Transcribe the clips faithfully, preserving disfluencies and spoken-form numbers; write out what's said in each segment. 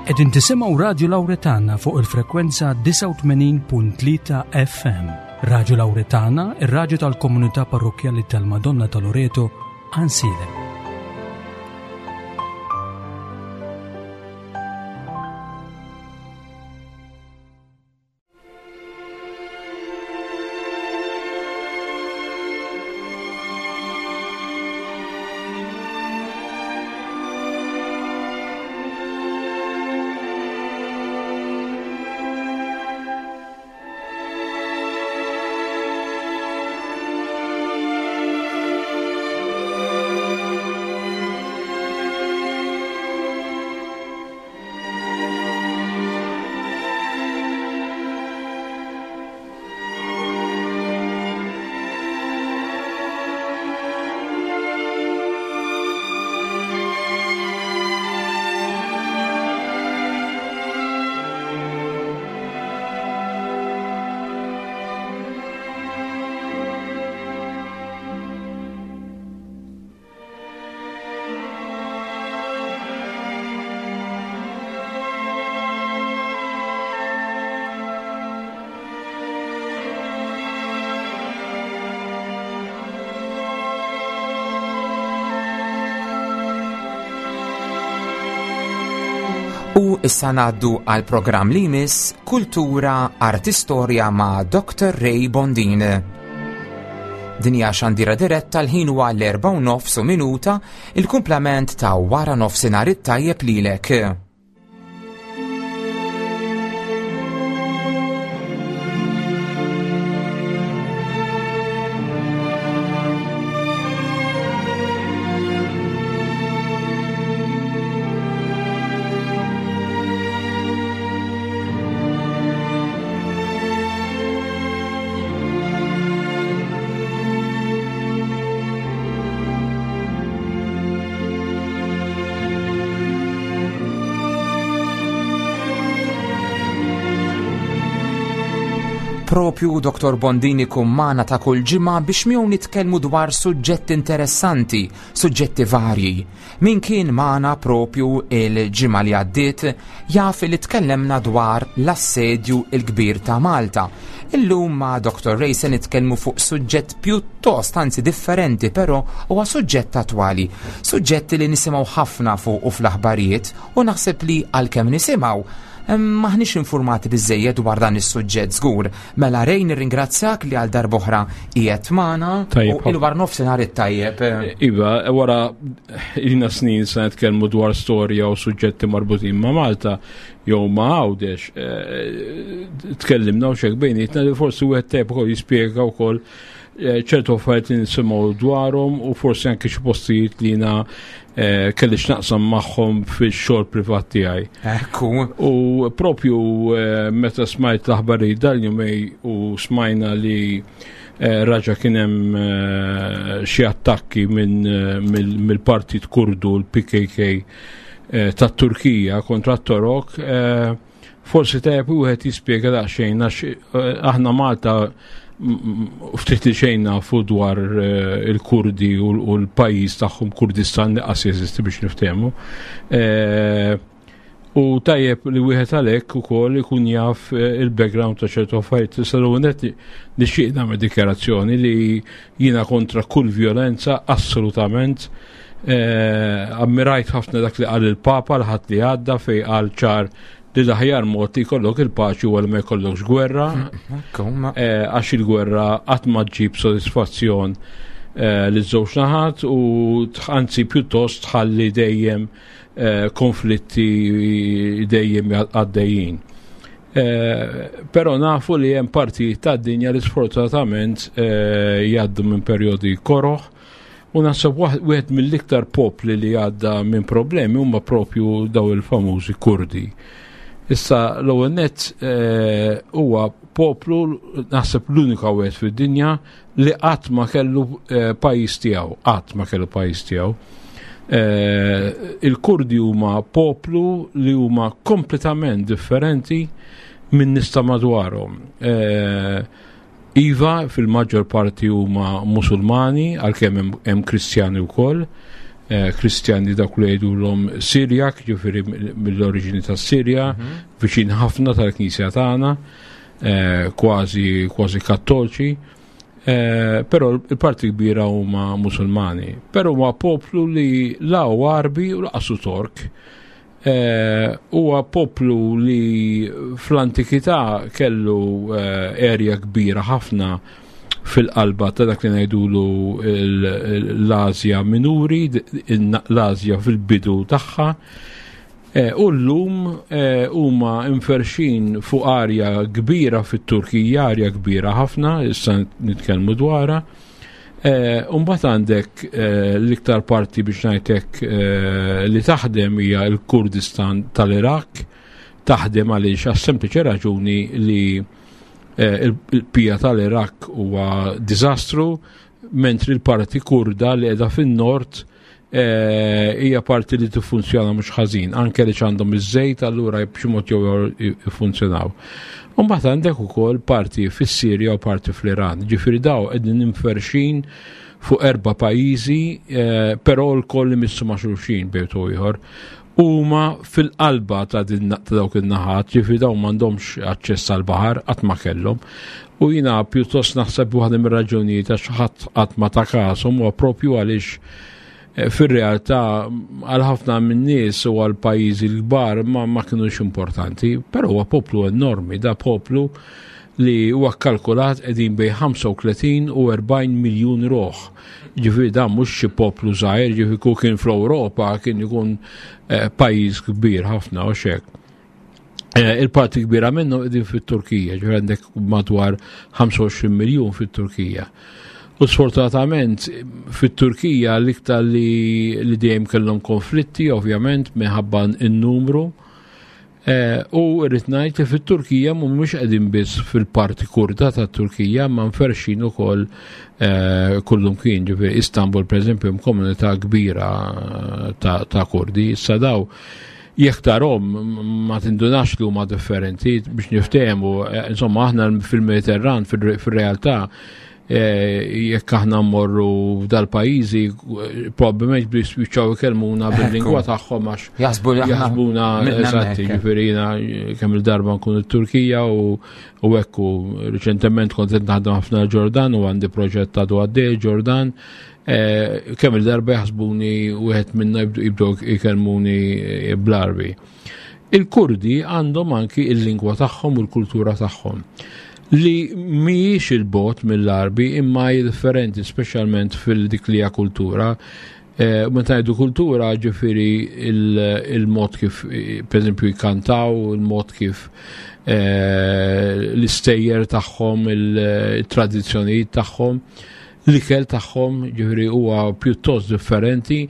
Qegħdin tisimgħu Radju Lawretana fuq il-frekwenza disgħa u tmenin punt tlieta F M. Radju Lawretana, ir-radju tal-komunità parrokkjali tal-Madonna ta' Loreto, Għajnsielem. U issa ngħaddu għal programm li jmiss Kultura Artistorja ma' Doktor Ray Bondin. Din hija xandira diretta l-ħin huwa l-erba' u nofs u minuta, il-kumplament ta' wara nofsinhar it-tajjeb lilek. Propju Doktor Bondini kun magħna ta' kull ġimgħa biex miegħu nitkellmu dwar suġġetti interessanti, suġġetti varji. Min kien magħna propju il-ġimgħa li għaddiet jaf li tkellemna dwar l-assedju l-kbir ta' Malta. Illum ma' Doktor Ray se nitkellmu fuq suġġett pjuttost anzi differenti, però huwa suġġett attwali, suġġetti li nisimgħu ħafna fuq u fl-aħbarijiet u naħseb li għalkemm nisimgħu maħniex informati biżżejjed dwar dan is-suġġett żgur. Mela Ray, nirringrazzjak li għal darb'oħra qiegħed magħna Tajjeb, u il-war nofsinhar it-tajjeb. Iva, wara ilna snin se nitkellmu dwar storja u suġġetti marbutin ma' Malta jew ma' Għawdex, eh, tkellimna u xek bejnietna li forsi wieħed tajjeb ukoll jispjega wkoll, eh, ċertu affarijiet li nisimgħu dwarhom u forsi anke xi postijiet li jiena, eh, kelli x'naqsam magħhom fix-xogħol privat tiegħi. Ekku. U propju, eh, meta smajt l-aħbarijiet dal-jumej u smajna li, eh, raġa kien hemm, eh, xi attakki minn, eh, mill-, mill-Partit Kurdu, l-P K K, eh, tat-Turkija kontra t-Torok, eh, forsi tajjeb wieħed jispjega daqsxejn għax, eh, aħna Malta m-, m-, ftit li xejn nafu dwar, eh, il-Kurdi u l-, u l-pajjiż tagħhom Kurdistan li qas jeżisti biex niftehmu. Eh, u tajjeb li wieħed għalhekk ukoll ikun jaf, eh, il-background ta' ċertu affarijiet. Issa l-ewwel nett nixtieq nagħmel dikjarazzjoni li jiena kontra kull violenza assolutament. Eh, ammirajt ħafna dak li qal il-Papa l-ħadd li għadda fej qal ċar li l-aħjar mod li jkollok il-paċi u ma jkollokx gwerra. Ekku, ma- Eh, għax il-gwerra qatt ma ġġib sodisfazzjon, eh, li żewġ naħat u tħ-, anzi pjuttost tħalli dejjem, eh, konflitti dejjem għaddejjin. Eh, però nafu li hemm partijiet tad-dinja li sfortunatament, eh, jgħaddu minn perjodi koroħ u naħseb waħ-, wieħed mill-iktar popli li għadda minn problemi huma propju daw il-famużi Kurdi. Issa l-ewwel nett, eh, huwa poplu naħseb l-unika wieħed fid-dinja li qatt ma kellu, eh, pajjiż tiegħu, qatt ma kellu pajjiż tiegħu. Eh, il-Kurdi huma poplu li huma kompletament differenti minn nies ta' madwarhom. Eh, Iva, fil-maġġor parti huma Musulmani, għalkemm hemm, hemm Kristjani wkoll. Kristjani dawk li jgħidulhom Sirjak, ġifieri mill-oriġini tas-Sirja, viċin ħafna tal-Knisja tagħna, kważi kważi kattoliċi, però il-parti kbira huma Musulmani. Però huwa poplu li la huwa Għarbi u lanqas hu Tork. Huwa poplu li fl-antikità kellu erja kbira ħafna fil-qalba ta' dak li ngħidulu l-Asja Minuri, l-Asja fil-bidu tagħha. U llum huma inferxin fuq arja kbira fit-Turkija, arja kbira ħafna, issa nitkellmu dwarha. U mbagħad għandek l-iktar parti biex ngħidlek li taħdem hija l-Kurdistan tal-Iraq, taħdem għaliex għas-sempliċi raġuni li il-pija tal-Iraq huwa diżastru, mentri l-parti kurda li qiegħda fin-nord hija parti li tiffunzjona mhux ħażin, anke li għandhom iż-żejt allura b'xi mod jew jiffunzjonaw. U mbagħad għandek ukoll parti fis-Sirja u parti fl-Iran. Ġifieri daw qegħdin inferxin fuq erba' pajjiżi, però l-koll imissu ma' xulxin bejn ieħor. Huma fil-qalba ta' dawk in-naħat, ġifieri dawn m'għandhomx aċċess għall-baħar, qatt ma kellhom. U jiena pjuttost naħseb waħda mir-raġunijiet għax ħadd qatt ma ta' kashom huwa propju għaliex fir-realtà għal ħafna min-nies u għal pajjiżi l-kbar ma, ma kinux importanti, però huwa poplu enormi, da poplu li huwa kkalkulat qegħdin bejn ħamsa u tletin u erbgħin miljun ruħ. Ġifieri dan mhux xi poplu żgħir, ġifieri kieku kien fl-Ewropa kien ikun pajjiż kbir ħafna u xek. Il-parti kbira minnu qegħdin fit-Turkija, ġifieri għandek madwar ħamsa u għoxrin miljun fit-Turkija. U sfortunatament fit-Turkija l-iktar li, li dejjem kellhom konflitti, ovvjament minħabba n-numru. U rrid ngħid li fit-Turkija mhumiex qegħdin biss fil-parti kurda tat-Turkija, ma nferxin ukoll kullum kien, ġifieri Istanbul pereżempju hemm komunità kbira ta', ta' Kurdi. Issa daw jekk tarhom ma tindunax li huma differenti biex niftehmu, insomma aħna fil-Mediterran fil-realtà jekk aħna mmorru f'dal-pajjiżi probabbilment biex jispiċċaw ikellmuna bil-lingwa tagħhom għax jaħsbuna eżatti, ġifieri jiena kemm il-darba nkun it-Turkija u hekk u riċentement kont qed naħdem ħafna Ġordan u għandi proġett għadu għaddej Ġordan, kemm il-darba jaħsbuni wieħed minna jibdew ikellmuni bl-Għarbi. Il-Kurdi għandhom anki il-lingwa tagħhom u l-kultura tagħhom li mhijiex il-bot mill-Għarbi imma hi differenti, speċjalment fil-dik li hija kultura. Meta ngħidu kultura, ġifieri il-mod kif pereżempju jkantaw, il-mod kif l-istejjer tagħhom, il-tradizzjonijiet tagħhom, l-ikel tagħhom, ġifieri huwa pjuttost differenti.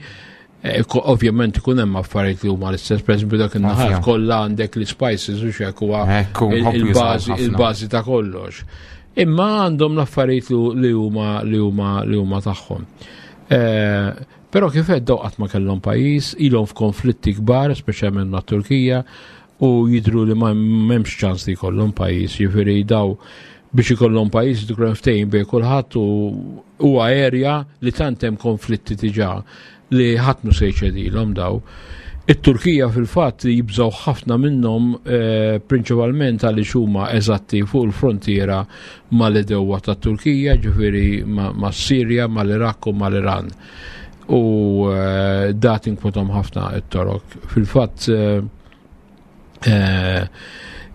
Ovvjament ikun hemm affarijiet li huma l-istess, pereżempju dak in-naħar kollha għandek l-spices u x'hekk huwa il-bażi il-bażi ta' kollox. Imma għandhom l-affarijiet li huma li huma li huma tagħhom. Però kif qed daw qatt ma kellhom pajjiż, ilhom f'konflitti kbar, speċjalment mat-Turkija, u jidhru li ma m'hemmx ċans li jkollhom pajjiż, jiġifieri daw biex ikollhom pajjiż ikun ftehim bejn kulħadd u huwa erja li tant hemm konflitti diġà li ħadd mhu se jċedilhom daw. It-Turkija fil-fatt jibżgħu ħafna minnhom prinċipalment għaliex huma eżatti fuq il-frontiera mal-edewwa tat-Turkija, ġifieri mas-Sirja, mal-Iraq u mal-Iran. U dat inkwetom ħafna it-Torok. Fil-fatt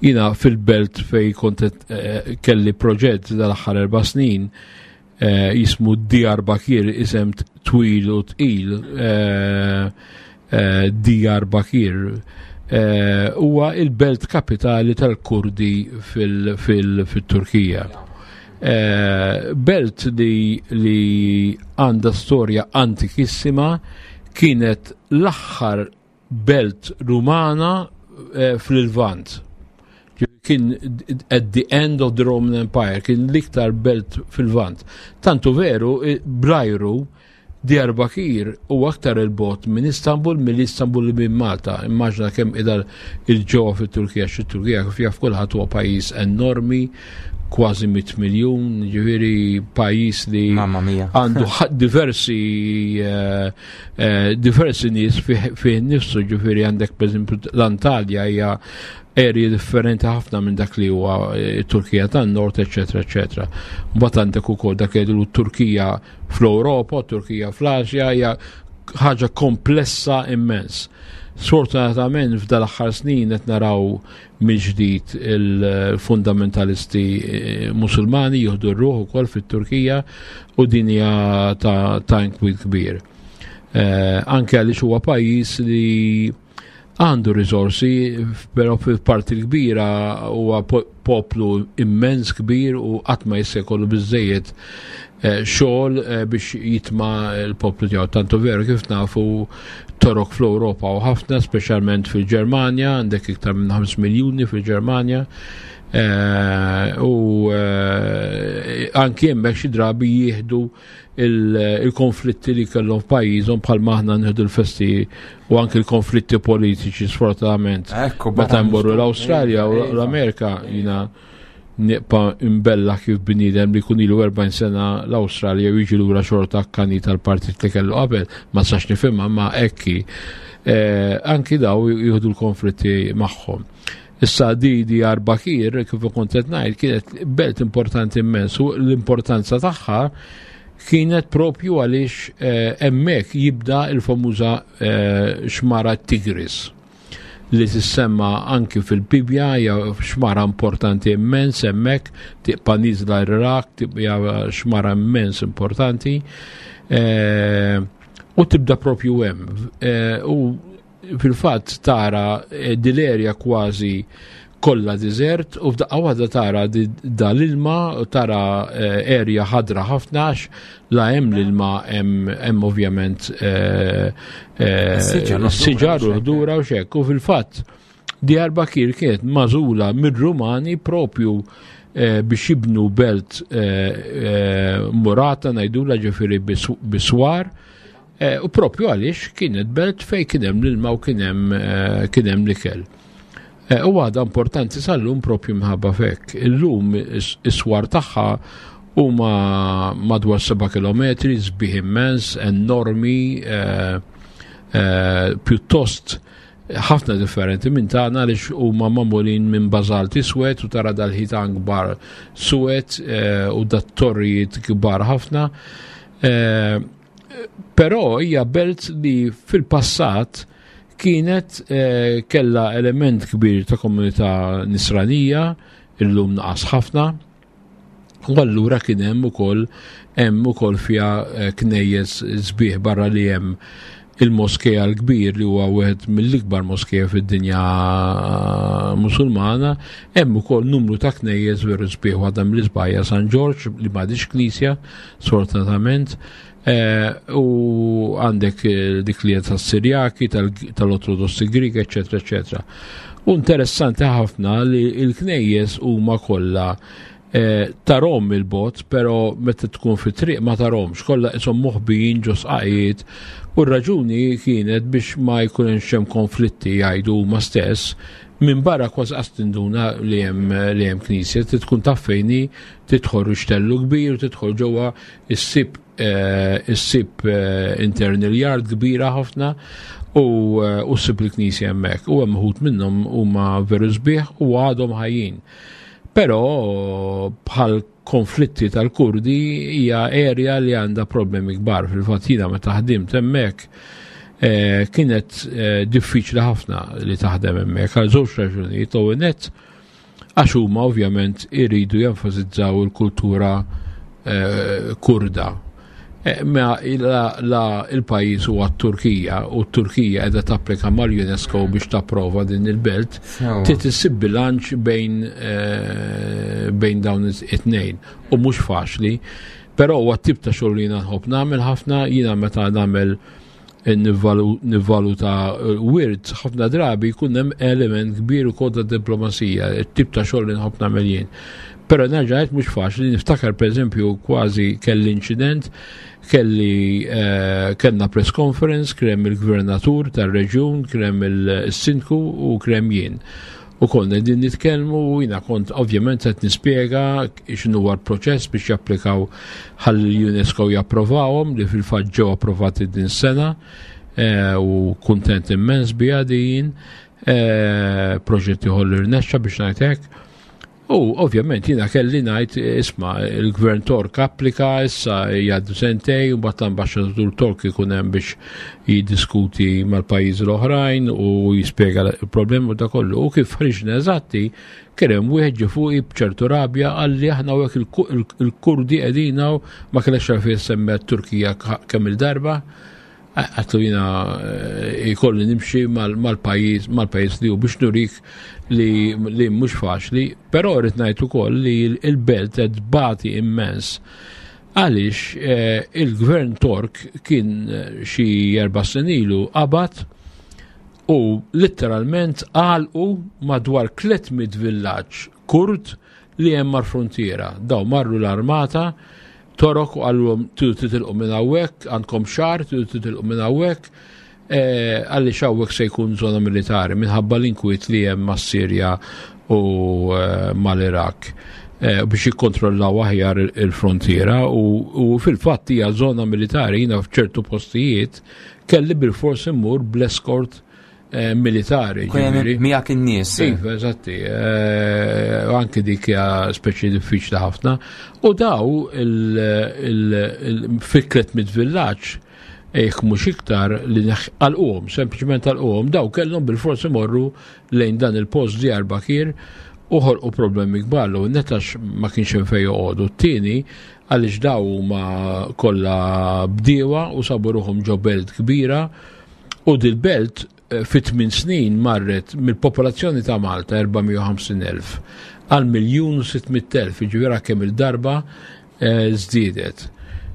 jiena fil-belt fej kont kelli proġett dal-aħħar erba' snin jismu Diyarbakir, isem twil u tqil, Diyarbakir, huwa il-belt kapitali tal-Kurdi fil-Turkija. Belt li li għandha storja antikissima, kienet l-aħħar belt Rumana fil-Lvant. Kien at the end of the Roman Empire, kien l-iktar belt fil-Lvant. Tantu veru, blajru, Diyarbakir u aktar il-bot minn Istanbul, mill Istanbul minn Malta. Immaġna kemm idal il-ġewwa fit-Turkija, xi Turkija kif jaf kulħadd huwa pajjiż enormi kważi mitt miljun, ġifieri pajjiż li Mamma mia. għandu diversi eh, eh, diversi nies fih nifsu, ġifieri għandek pereżempju l-Antalja hija area differenti ħafna minn dak li huwa eh, Turkija tan-Nord, eċetera, eċetera. Mbagħad għandek ukoll dak li Turkija fl-Ewropa, Turkija fl-Asja, hija ħaġa komplessa immens. Sfortunatament f'dal aħħar snin qed naraw mill-ġdid il-fundamentalisti eh, Musulmani jieħdu r-ruħ ukoll fit-Turkija u din hija ta', ta' inkwiet kbir. Eh, anke għaliex huwa pajjiż li għandu risorsi, però fil-parti l-kbira huwa poplu immens kbir u qatt ma jista' jkollu biżejjed eh, xogħol eh, biex jitma l-poplu tiegħu. Tantu veru kif nafu Torok fl-Ewropa u ħafna, speċjalment fil-Ġermanja, għandek iktar minn ħames miljuni fil-Ġermanja. Eh, u anki hemmhekk xi drabi jieħdu il-konflitti li kellhom f'pajjiżhom bħal aħna nieħdu l-festi u anki l-konflitti politiċi, sfortunatament. Meta nmorru l-Awstralja u l-Amerika, jiena nibqa' imbella kif bniedem li kun ilu erbgħin sena l-Awstralja u jiġi lura xorta akkani tal-partit li kellu qabel, ma sax nifhimha, ma ekki. Eh, anki daw jieħdu l-konflitti magħhom. Issa di Diyarbakir, kif kont qed ngħid, kienet belt importanti immens u l-importanza tagħha kienet propju għaliex eh, hemmhekk jibda il-famuża eh, xmara Tigris li tissemma anki fil-Bibja, hija xmara importanti immens hemmhekk, tibqa' nieżla Iraq, tibqa' xmara immens importanti eh, u tibda propju hemm. U fil-fatt tara dil-erja kważi kollha deżert u f'daqqa waħda tara dal-ilma, tara erja ħadra ħafna għax la hemm l-ilma, hemm ovvjament siġar u ħdura u xek. U fil-fatt Diyarbakir kienet magħżula mir-Rumani propju biex jibnu belt murata, ngħidula, ġifieri biswar, u propju għaliex kienet belt fej kien hemm l-ilma u kien hemm kien hemm l-ikel. U għada importanti sal-lum propju mħabba fek. Illum is-swar tagħha huma madwar seba' kilometri, sbieħ immens, enormi, pjuttost ħafna differenti minn tagħna għaliex huma magħmulin minn bażalt iswed u tara dal-ħitan kbar suwed u dat-torrijiet kbar ħafna. Però hija belt li fil-passat kienet eh, kella element kbir ta' komunità nisranija, illum naqas ħafna, u allura kien hemm ukoll hemm ukoll fiha eh, knejjes sbieħ barra li hemm il-moskeja l-kbir li huwa wieħed mill-ikbar moskeja fid-dinja musulmana, hemm ukoll numru ta' knejjes veru sbieħ, waħda mill-isbaħ San Ġorġ li m'għadix knisja sfortunatament. Eh, u għandek eh, dik li tas-Sirjaki, tal-Ortodossi Grieg, eccetera, eccetera. U interessanti ħafna li l-knejjes huma kollha eh, tarom il-bot, pero meta tkun fi triq ma taromx, kollha ishom moħbijin ġo sqaqiet, u r-raġuni kienet biex ma jkunx hemm konflitti, jgħidu huma stess, minn barra kważi qas tinduna li hemm li hemm knisja, tkun taf fejn hi, tidħol rixtellu kbir u tidħol ġewwa issib issib internal yard kbira ħafna u ssib il-knisja hemmhekk. U hemm uħud minnhom huma veru sbieħ u għadhom ħajjin. Però bħal konflitti tal-Kurdi hija area li għandha problemi kbar. Fil-fatt jiena meta ħdimt hemmhekk kienet diffiċli ħafna li taħdem hemmhekk għal żewġ raġunijiet. L-ewwel nett għax huma ovvjament iridu jenfasizzaw il-kultura Kurda. Ma la il-pajjiż huwa t-Turkija u t-Turkija qiegħda tapplika mal-UNESCO biex tapprova din il-belt, trid issib bilanċ bejn bejn dawn it-tnejn u mhux faċli, però huwa tip ta' xogħol li jiena nħobb nagħmel ħafna. Jiena meta nagħmel nivvaluta wirt ħafna drabi jkun hemm element kbir ukoll ta' diplomazija, it-tip ta' xogħol li nħobb nagħmel jien. Però nerġa' ngħid mhux faċli, niftakar pereżempju kważi kelli inċident, kelli eh, kellna press conference, krem il-gvernatur tar-reġjun, krem il-sindku u krem jien. U konna din nitkellmu u jiena kont ovvjament qed nispjega x'inhu huwa l-proċess biex japplikaw ħalli l-UNESCO japprovawhom, li fil-fatt ġew approvati din sena, eh, u kuntent immens biha din, eh, proġett ieħor li rnexxa biex ngħid hekk. U ovvjament jiena kelli ngħid, isma', il-gvern Tork applika, issa jgħaddu sentejn, u mbagħad l-ambaxxatur Tork ikun hemm biex jiddiskuti mal-pajjiżi l-oħrajn u jispjega l-problemi u da kollu. U kif ħriġna eżatti, kien hemm wieħed ġie fuqi b'ċertu rabja, qalli aħna hawnhekk il-Kurdi qegħdin hawn, ma kellekx għalfejn semmi Turkija kemm il-darba. Għedtlu jiena jkolli nimxi mal-pajjiż mal-pajjiż li hu biex nurik li li mhux faċli, però rrid ngħid ukoll li l-belt qed tbati immens għaliex il-gvern Tork kien xi erba' snin ilu qabad u letteralment għalqu madwar tliet mitt villaġġ Kurd li hemm mal-frontiera. Daw marru l-armata Torok u qalulhom tridu titilqu minn hawnhekk, għandkom xahar, tridu titilqu minn hawnhekk, għaliex hawnhekk se jkun żona militari minħabba l-inkwiet li hemm mas-Sirja u mal-Iraq biex jikkontrollaw aħjar il-frontiera u fil-fatt hija żona militari. Jiena f'ċertu postijiet kelli bil-fors immur bl-eskort militari. Miegħek in-nies. Iva, eżatti. Anki dik hija speċi diffiċli ħafna. U daw il-fikret mid-villaġġ jekk mhux iktar li għalquhom, sempliċement għalquhom, daw kellhom bil-fors imorru lejn dan il-post Diyarbakir u ħolqu problemi kbar l netax ma kienx hemm fejn joqogħdu. T-tieni għaliex daw huma kollha bdiewa u sabu ruħhom ġo belt kbira u dil-belt fi tmien snin marret mill-popolazzjoni ta' Malta erba' mija u ħamsin elf għal miljun u sitt mitt elf, jiġifieri kemm il-darba żdiedet.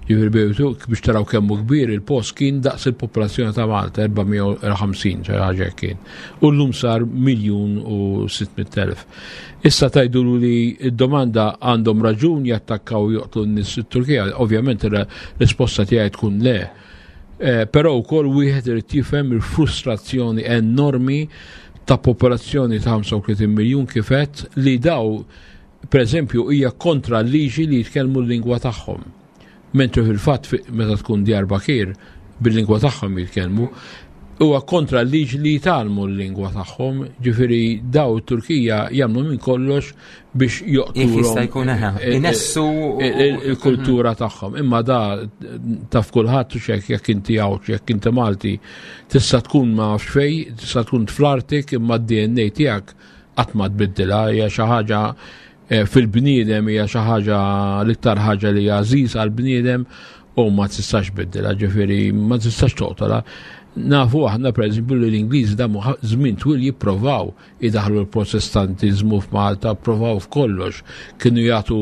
Jiġifieri bejtu biex taraw kemm hu kbir il-post kien daqs il-popolazzjoni ta' Malta erba' mija u ħamsin, xi ħaġa hekk kien. U llum sar miljun u sitt mitt elf. Issa tgħidulu li d-domanda għandhom raġun jattakkaw joqtlu n-nies it-Turkija, ovvjament ir-risposta tiegħi tkun le. Però wkoll wieħed irid jifhem il-frustrazzjoni enormi ta' popolazzjoni ta' ħamsa u tletin miljun kif għedt, li daw pereżempju hija kontra l-liġi li jitkellmu l-lingwa tagħhom. Mentri fil-fatt meta tkun Diyarbakir bil-lingwa tagħhom jitkellmu, huwa kontra l-liġi li jitgħallmu l-lingwa tagħhom, ġifieri daw it-Turkija jagħmlu minn kollox biex joqtlu Jekk jista' jkun eħe, inessu il-kultura tagħhom. Imma da taf kulħadd u x'hekk, jekk inti Għawdxi, jekk inti Malti, tista' tkun ma nafx fejn, tista' tkun fl-Artik, imma d-D N A tiegħek qatt ma tbiddilha, hija xi ħaġa fil-bniedem, hija xi ħaġa l-iktar ħaġa li hija għażiż għall-bniedem u ma tistax tbiddilha, ġifieri ma tistax toqtolha. Nafu aħna pereżempju li l-Ingliżi damu żmien twil jipprovaw idaħlu l-Protestantiżmu f'Malta, provaw f'kollox, kienu jagħtu,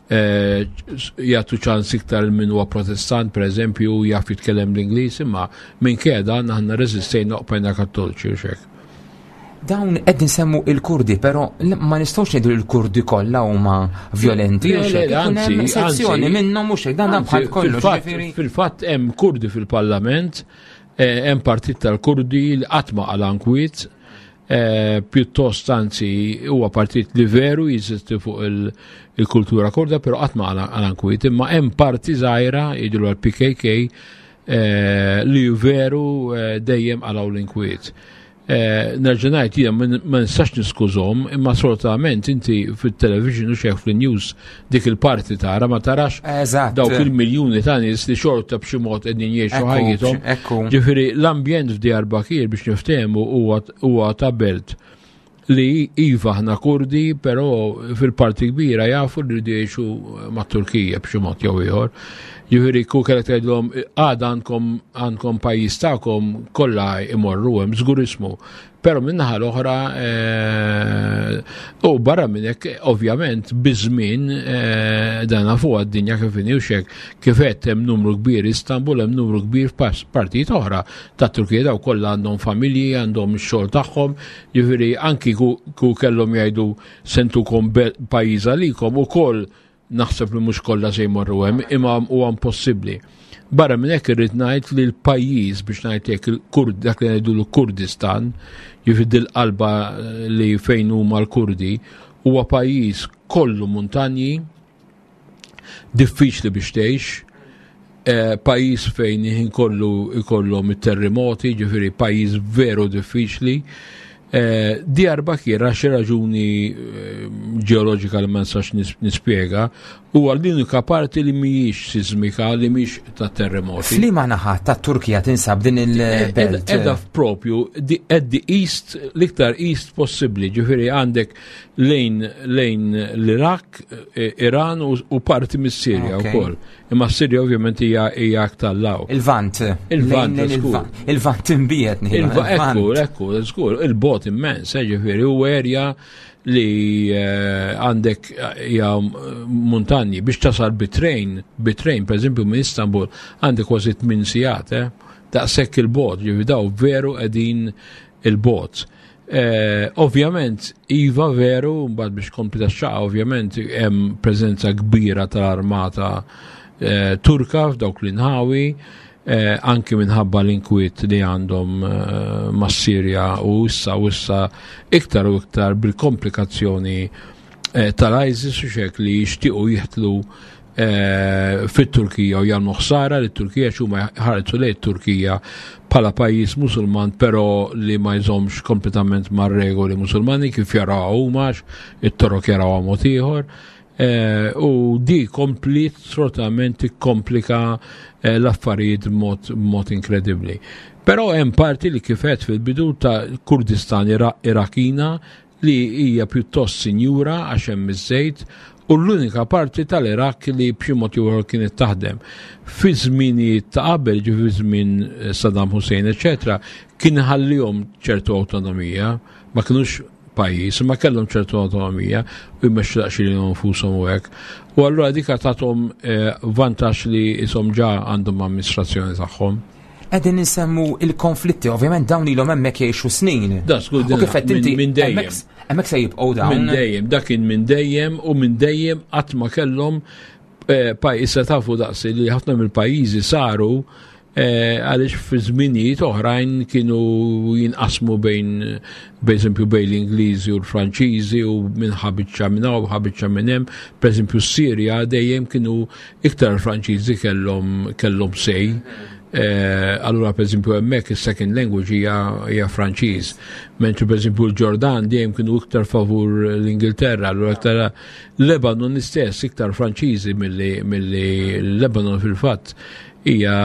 eh, jagħtu ċans iktar minn huwa Protestant pereżempju jaf jitkellem l-Ingliż, imma minkejja dan aħna reżistejna u bqajna Kattoliċi u x'hekk. Dawn qed nsemmu il-Kurdi, però ma nistgħux ngħidu li l-Kurdi kollha huma violenti Le, u le, xejn. Ikun hemm anzi, sezzjoni anzi, minnhom mhux hekk, dan anzi, bħal kollox, fil-fatt, ġifieri. Fil-fatt hemm Kurdi fil-Parlament, eh, hemm partit tal-Kurdi li qatt ma qala nkwiet, eh, pjuttost anzi huwa partit li veru jeżisti fuq il-, il-kultura kurda, però qatt ma qala nkwiet, imma hemm parti żgħira jgħidu l-P K K, eh, li veru, eh, dejjem qalaw l-inkwiet. Eh, nerġa' ngħid jien ma n-, ma nistax niskużhom, imma sfortunatament inti fit-television u xejn fil-news dik il-parti tara ma tarax Eżatt. dawk il-miljuni ta' nies li xorta b'xi mod qegħdin jgħixu Ekku, ħajjithom. ekku. Ġifieri l-ambjent f'Diyarbakir biex niftehmu huwa, huwa ta' belt li iva aħna Kurdi, però fil-parti kbira jafu li jridu jgħixu mat-Turkija b'xi mod jew ieħor. Ġifieri ku kellek tgħidlhom għada għandkom, għandkom pajjiż tagħkom kollha imorru hemm żgur ismu. Però min-naħa l-oħra, eh, u barra minn hekk ovvjament biż-żmien, eh, dan nafu għad-dinja kif inhi u x'hekk, kif qed hemm numru kbir Istanbul, hemm numru kbir f'pas-, partijiet oħra ta' Turkija, daw kollha għandhom familji, għandhom ix-xogħol tagħhom, ġifieri anki ku, ku kellhom jgħidu sentukom be-, pajjiż għalikom ukoll naħseb li mhux kollha se jmorru hemm, imma huwa impossibbli. Barra minn hekk irrid ngħid li l-pajjiż, biex ngħid hekk, il-Kurd, dak li ngħidu l-Kurdistan, jiġifieri dil-qalba li fejn huma l-Kurdi, huwa pajjiż kollu muntanji, diffiċli biex tgħix, eh, pajjiż fejn ħin kollu ikollhom it-terremoti, ġifieri pajjiż veru diffiċli. Eh, Diyarbakir għal xi raġuni eh, ġeoloġika li ma nistax nispjega, huwa l-unika parti li mhijiex sismika, li mhijiex ta' terremoti. F'liema naħa ta' Turkija tinsab din il-belt? Edha propju at the east, l-iktar east possibbli, ġifieri għandek lejn lejn l-Iraq, eh, Iran u parti mis-Sirja wkoll. Imma s-Sirja ovvjament hija hija aktar law. Il-Vant. Il-Vant, Il-Vant imbiet. Ekku, ekku, żgur, il-bogħod immens, eh, ġifieri u erja li eh, għandek hija muntanji biex tasal bit-train, bit-train, per eżempju minn Istanbul, għandek kważi tmien sigħat, eh? Daqshekk il-bogħod, ġifieri daw veru qegħdin il-bogħod. Eh, ovvjament, iva veru, mbagħad biex kompli tax-xaqa, ovvjament hemm preżenza kbira tal-armata eh, Turka f'dawk l-inħawi, eh, anki minħabba l-inkwiet li għandhom eh, mas-Sirja u issa u issa iktar u iktar bil-komplikazzjoni eh, tal-ISIS u xek li jixtiequ jidħlu eh, fit-Turkija u jagħmlu ħsara li Turkija xuma ħarsu lejn Turkija bħala pajjiż Musulman, però li ma jżomx kompletament mar-regoli Musulmani kif jaraw huma, it-Torok jaraw mod ieħor. Eh, u di komplit sfortunatament tikkomplika eh, l-affarijiet mod, mod inkredibbli. Però hemm parti li kifet fil-bidu ta' Kurdistan Irakina li hija pjuttost sinjura għax hemm iż-żejt u l-unika parti tal-Irak li b'xi mod jew kienet taħdem. Fi żminijiet ta' qabel, ġi fi żmien eh, Saddam Hussein, eċetera, kien ħallihom ċertu awtonomija, ma kinux pajjiż, ma kellhom ċertu awtonomija u jmexxu daqsxejn lilhom nfushom u hekk. U allura dik tagħthom eh, vantaġġ li ishom ġa għandhom amministrazzjoni tagħhom. Qegħdin insemmu il-konflitti, ovvjament dawn ilhom hemmhekk jgħixu snin. Da, skur, U kif qed inti minn dejjem. Hemmhekk se jibqgħu dawn. Minn dejjem, dak kien minn dejjem u minn dejjem qatt ma kellhom eh, pajjiż se tafu daqsi li ħafna mill-pajjiżi saru eh, għaliex fi żminijiet oħrajn kienu jinqasmu bejn bejn bejn l-Ingliżi u l-Franċiżi u minn ħabiċċa minn hawn u ħabiċċa minn hemm. Pereżempju s-Sirja dejjem kienu iktar Franċiżi kellhom kellhom sej. Eh, allura per eżempju hemmhekk is-second language hija hija Franċiż. Mentri per eżempju l-Ġordan dejjem kienu iktar favur l-Ingilterra, allura iktar Lebanon istess iktar Franċiżi milli milli Lebanon fil-fatt hija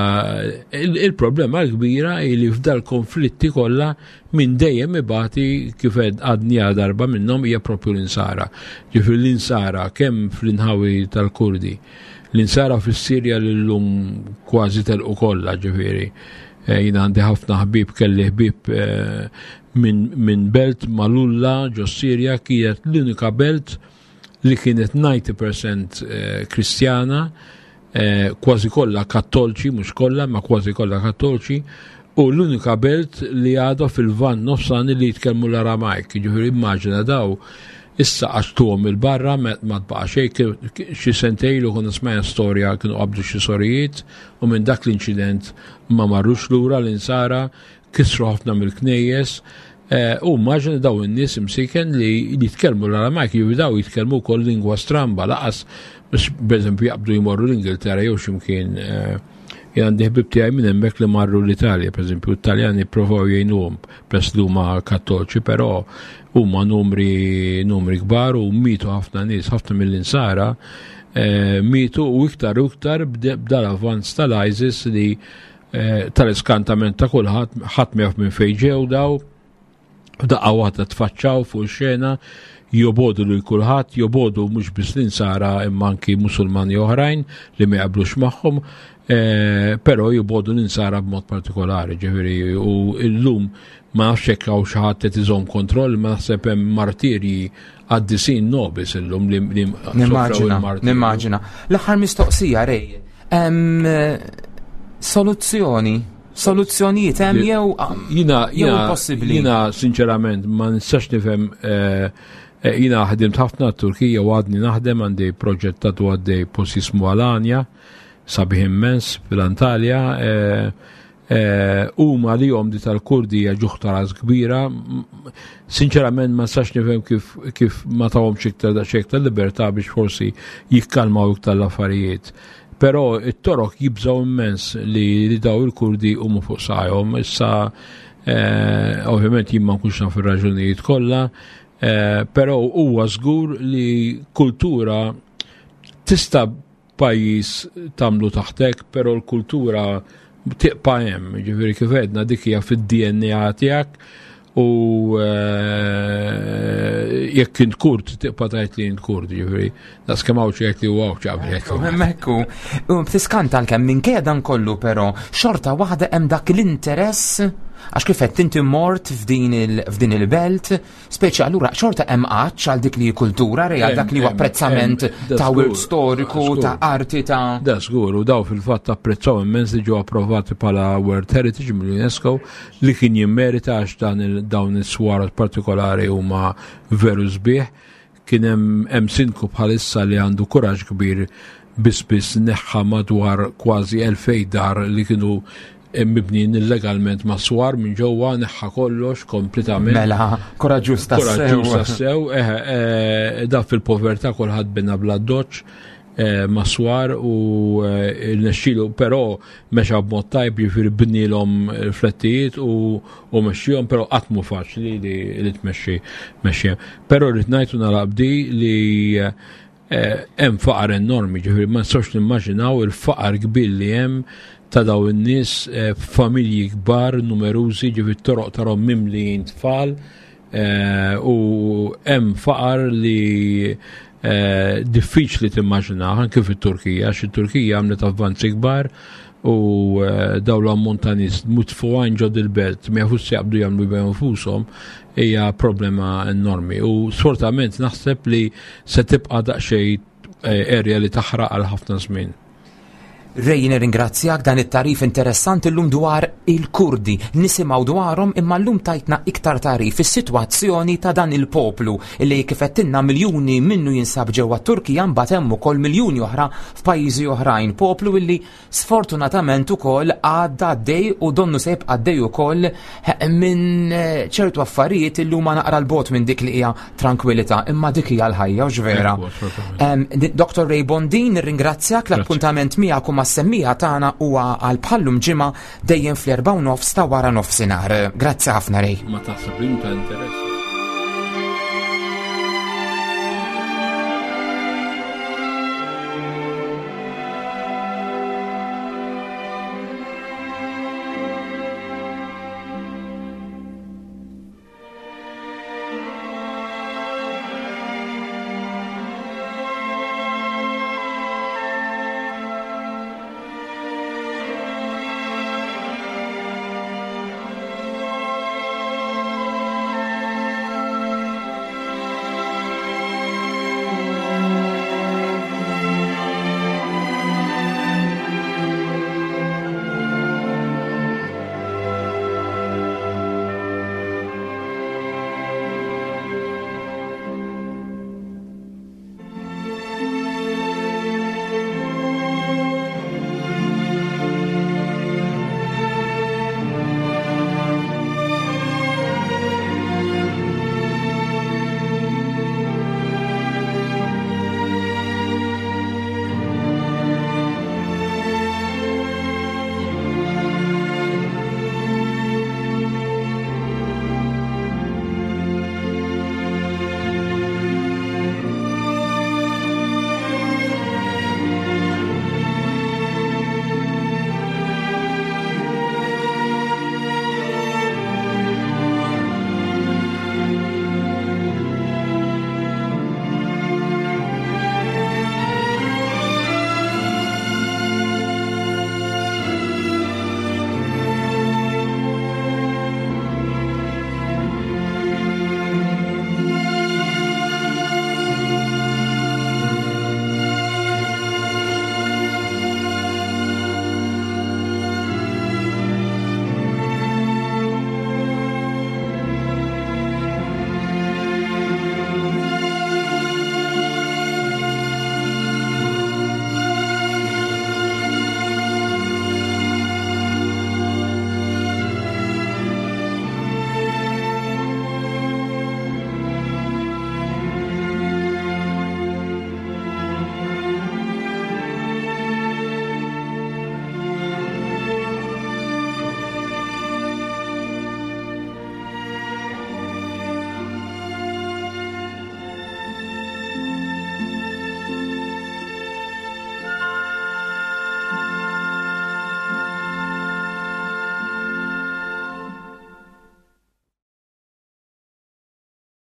il-problema l-kbira hi li f'dal konflitti kollha minn dejjem ibati kif għadni darba minnhom hija propju l-insara. Ġifieri l-insara kemm fl-inħawi tal-Kurdi, l-insara fis-Sirja li llum kważi telqu kollha, ġifieri. Eh, jien għandi ħafna ħbieb, kelli ħbieb eh, minn min belt Malulla ġo Sirja, kienet l-unika belt li kienet disgħin fil-mija eh, Kristjana, kważi kollha Kattolċi, mhux kollha, ma kważi kollha Kattolċi, u l-unika belt li għadha fil-Lvant Nofsani li jitkellmu l-Aramajk, ġifieri immaġina daw issa għaxtuhom il-barra ma tbaqa' xejn. Xi sentejn ilu konna smajna storja kienu qabdu xi sorijiet u minn dak l-inċident ma marrux lura l-insara, kisru ħafna mill-knejjes eh, u immaġina daw in-nies imsiken li jitkellmu l-Aramajk, jew daw jitkellmu wkoll lingwa stramba, laqas biex pereżempju jaqbdu jmorru l-Ingilterra jew x'imkien. eh, Jien għandi ħbib tiegħi minn hemmhekk li marru l-Italja, pereżempju, l-Italjani provaw jgħinuhom peress li huma Kattolċi, però huma numri numri kbar u mitu ħafna nies, ħafna mill-insara eh, mitu u iktar u iktar b'dal-avvanz tal-ISIS li eh, tal-iskantament ta' kulħadd, ħadd ma jaf minn fejn ġew daw, daqqa waħda tfaċċaw fuq xena, jobogħdu lil kulħadd, jobogħdu mhux biss l-insara imma anki Musulmani oħrajn li ma jaqblux magħhom, eh, però jobogħdu l-insara b'mod partikolari, ġifieri u llum ma nafx hekk hawn xi ħadd qed iżomm kontroll, ma naħseb hemm martirji qaddisin nobis illum li li sofrew Nimmaġina, il-martirju. Nimmaġina. L-aħħar mistoqsija, Rej. Hemm soluzzjoni, soluzzjonijiet hemm jew Jina, jew jina, impossibbli? Jina sinċerament ma nistax nifhem eh, eh, jina ħdimt ħafna Turkija u għadni naħdem, għandi proġett ta' għaddej post jismu Alanya. sabiħ immens fil-Antalja. Huma li jom di tal-Kurdi hija ġuħ ta' ras kbira. Sinċerament ma nistax nifhem kif, kif ma tawhomx iktar daqsxejn iktar libertà biex forsi jikkalmaw iktar l-affarijiet. Però it-Torok jibżaw immens li, li daw il-Kurdi huma fuq saqajhom. Issa eh, ovvjament jien ma nkunx naf ir-raġunijiet kollha, eh, però huwa żgur li kultura tista' pajjiż tagħmlu taħtek, però l-kultura tibqa' hemm, ġifieri kif għedna dik hija fid-D N A tiegħek u eh, jekk int Kurd tibqa' tgħid li int Kurd, ġifieri daqs kemm hawn jgħid li huwa qabel. Hemmhekk u tiskanta kemm minkejja dan kollu, però xorta waħda hemm dak l-interess, għax kif qed inti mort f'din il- f'din il-belt, speċi allura xorta hemm għatx għal dik li kultura, re għal dak li huwa apprezzament ta' wirt storiku, ta' arti, ta' Da żgur, u daw fil-fatt apprezzaw immens li ġew approvati bħala World Heritage mill-UNESCO, li kien jimmerita għax dan dawn is-swar partikolari huma veru sbieħ. Kien hemm hemm sindku bħalissa li għandu kuraġġ kbir, biss biss neħħa madwar kważi elfejn dar li kienu mibnin illegalment ma' swar minn ġewwa, neħħa kollox kompletament. Mela, koraġġuż ta' Koraġġuż tassew, eh, da fil-povertà kulħadd bina bla doċ eh, ma' swar u nexxielu, però mexa b'mod tajb, jiġifieri bnilhom flettijiet u u mexxihom, però qatt mhu faċli li li tmexxi mexxi. Però rrid ngħid u nagħlaq b'di li eh, hemm faqar enormi, ġifieri ma nistgħux nimmaġinaw il-faqar kbir li hemm ta' daw in-nies, eh, familji kbar, numerużi, ġifieri toroq tarahom mimlijin tfal eh, u hemm faqar li eh, diffiċli timmaġina anke fit-Turkija, għax it-Turkija għamlet avvanzi kbar u daw l-ammont ta' nies mitfugħin ġo dil-belt ma jafux se jaqbdu jagħmlu bejn infushom, hija problema enormi. U sfortunatament naħseb li se tibqa' daqsxejn area li taħraq għal ħafna żmien. Ray, nirringrazzjak dan it-tagħrif interessanti llum dwar il-Kurdi. Nisimgħu dwarhom imma llum tajtna iktar tagħrif is-sitwazzjoni ta' dan il-poplu li kif għedtilna miljuni minnu jinsab ġewwa Turkija, mbagħad hemm ukoll miljuni oħra f'pajjiżi oħrajn. Poplu illi sfortunatament ukoll għadda għaddej u donnu se jibqa' għaddej ukoll minn ċertu affarijiet illi huma naqra l-bogħod minn dik li hija tranquillità, imma dik hija l-ħajja u vera. Doktor Ray Bondin, nirringrazzjak. L-appuntament miegħek u mas-semmiegħa tagħna huwa għal bħallum ġimgħa, dejjem fl-erbgħa u nofs ta' wara nofsinhar. Grazzi ħafna, Ray. Ma taħseb li ta' interess.